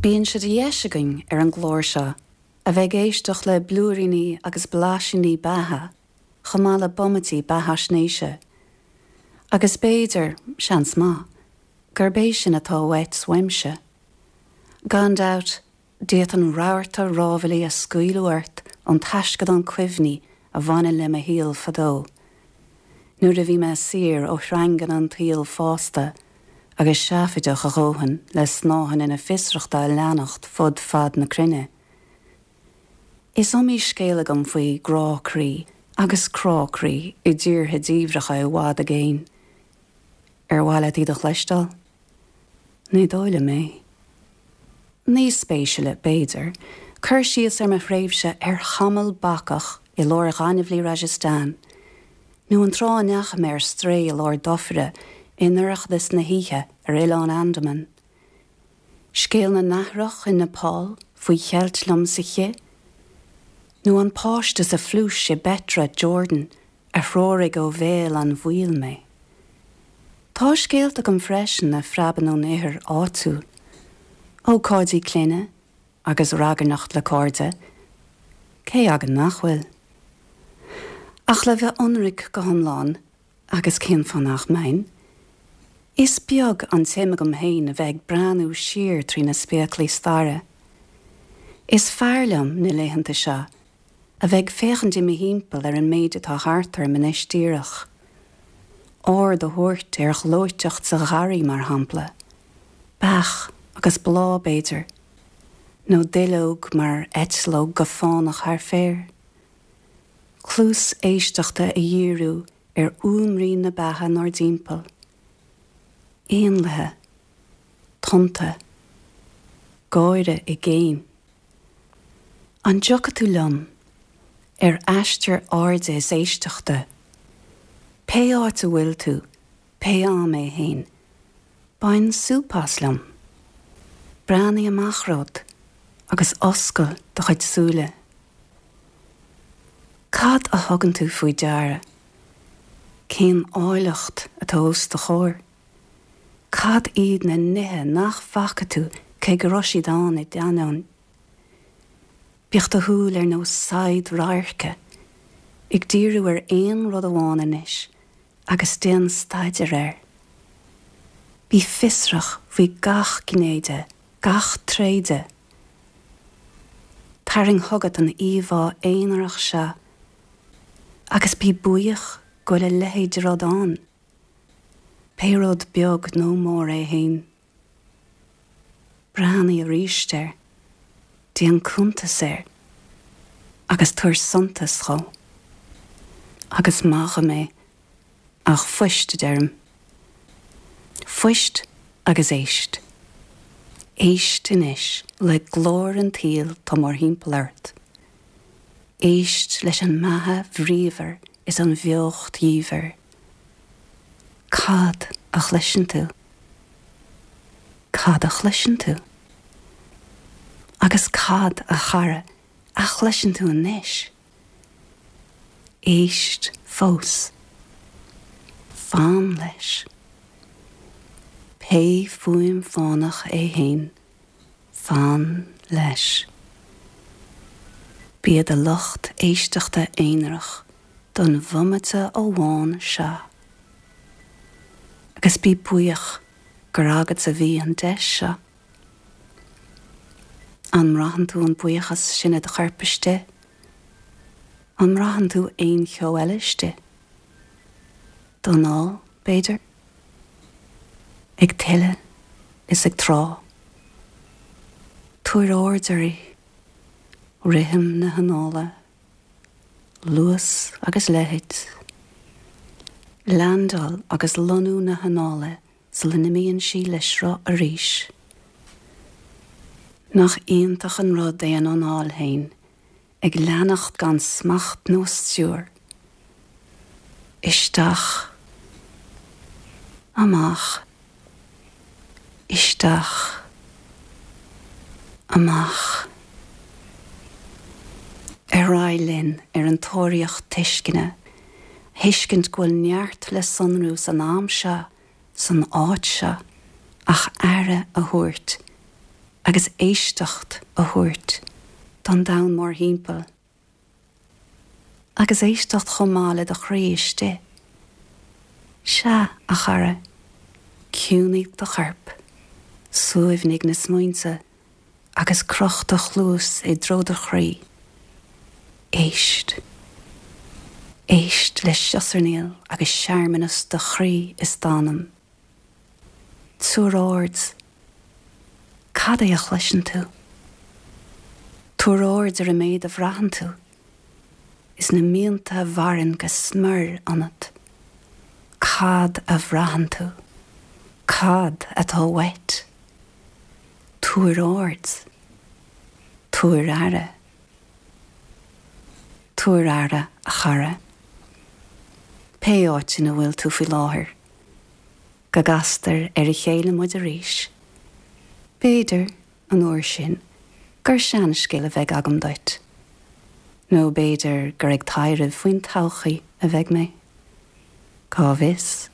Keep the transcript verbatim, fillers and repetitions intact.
Bíonn sé de dheis againn ar an gclár seo a bheith ag éisteacht le blúiríní agus blaisíní beatha chomh maith le bomaití beathaisnéise. Agus b'fhéidir seans maith gurb é sin atá uait uaimse. Gan dabht d'fhéadfainn rabharta rámhaillí a scaoileadh ort ón taisceadán cuimhní a bhaineann le mo shaol fadó. Nuair a bhí mé saor ó shreanganna an tsaoil fásta agus seafaideach a dhóthain le snáitheanna na fiosrachta a leanacht fud fad na cruinne. Is iomaí scéal agam faoi grá croí agus crá croí i dtíortha diamhracha i bhfad i gcéin. Ar mhaith leat iad a chloisteáil? Ní dóigh liom é. Níos spéisiúla b'fhéidir, cur síos ar mo thréimhse ar chamall bacach i lár ghaineamhlaigh Rajasthan, nó an tráth a ndeachaigh mé ar strae i lár dufaire i ndorchadas na hoíche ar Oileán Andaman. Scéal na nathrach in Nepal faoi cheilt liom sa chith, nó an páiste sa phluais i Petra Jordan a threoraigh ó bhéal an bhaoil mé. Tá scéalta agam freisin a phreabann ón ithir áitiúil, ócáidí clainne agus ragairneacht le cairde, cé againn nach bhfuil. Ach le bheith ionraic go hiomlán agus cén fáth nach mbeinn, Is beag an tsuim agam féin a bheith ag breathnú siar trí na spéaclaí staire. Is fearr liom na laethanta seo a bheith ag féachaint i mo thimpeall ar an méid atá thart orm anois díreach. Aird a thabhairt ar ghleoiteacht sa gharraí mar shampla, Beach agus bláth b'fhéidir, nó duilleog mar eitleog go fánach thar féar. Cluas éisteachta a dhíriú ar fhuaimrian na beatha inár dtimpeall. Éanlaithe, tonnta, gáire i gcéin. An dtiocfaidh tú liom ar aistear airde is éisteachta, Pé áit a bhfuil tú, pé am é féin, Bain súp as liom. Breathnaigh amach romhat agus oscail do chuid súile. Cad a thugann tú faoi deara? Cén áilleacht atá os do chomhair? Cad iad na nithe nach bhfaca tú cé go raibh siad ann i d'ainneoin? Bíodh do shúil ar nós saighead radhairce, ag díriú ar aon rud amháin anois agus déan staidéar air. Bí fiosrach faoi gach gné de, gach tréith de. Tarraing chugat an íomhá aonarach seo, agus bí buíoch go bhfuil a leithéid de rud ann. Pé rud beag nó mór é féin. Breathnaigh arís air, déan cuntas air, agus tabhair suntas dó. Agus maith mé ach fuist a deirim. Fuist agus éist. Éist anois le glór an tsaoil atá mórthimpeall ort. Éist leis an mbeatha bhríomhar is an bheocht dhiamhair. Cad a chloiseann tú? Cad a chloiseann tú? Agus cad a chara a chloiseann tú anois? Éist fós. Fan leis. Pé fuaim fánach é féin, fan leis. Bí i do lucht éisteachta aonarach don bhomaite amháin seo. Agus bí buíoch gur agat a bhí an deis seo. An mbraitheann tú an buíochas sin i do chorp istigh? An mbraitheann tú aon cheo eile istigh? D'anáil, b'fhéidir? Ag tuile is ag trá. Tabhair aird uirthi, rithim na hanála, luas agus leithead, Landáil agus lonnú na hanála sula n-imíonn sí le sruth arís. Nach iontach an rud é an anáil féin, ag leanacht gan smacht nó stiúir. Isteach, amach, isteach, amach. Ar aghaidh linn ar an tóraíocht tuisceana, tuiscint go bhfuil neart le sonrú san am seo san áit seo ach aire a thabhairt Agus éisteacht a thabhairt don domhan mórthimpeall. Agus éisteacht chomh maith le do chroí istigh. Sea, a chara, ciúnaigh do chorp, suaimhnigh na smaointe agus croch do chluas i dtreo do chroí. Éist. Éist le siosarnaíl agus searmanas do chroí is d'anam. Tabhair aird. Cad é a chloiseann tú? Tabhair aird ar an méid a bhraitheann tú. Is na mianta a mhaireann go smior ionat. Cad a bhraitheann tú? Cad atá uait? Tabhair aird. Tabhair aire. Tabhair aire a chara. Pé áit ina bhfuil tú faoi láthair. Go gcastar ar a chéile muid arís. B'fhéidir an uair sin gur seanscéal a bheidh agam duit. Nó b'fhéidir gur ag taidhreamh faoin todhchaí a bheidh mé. Cá bhfios?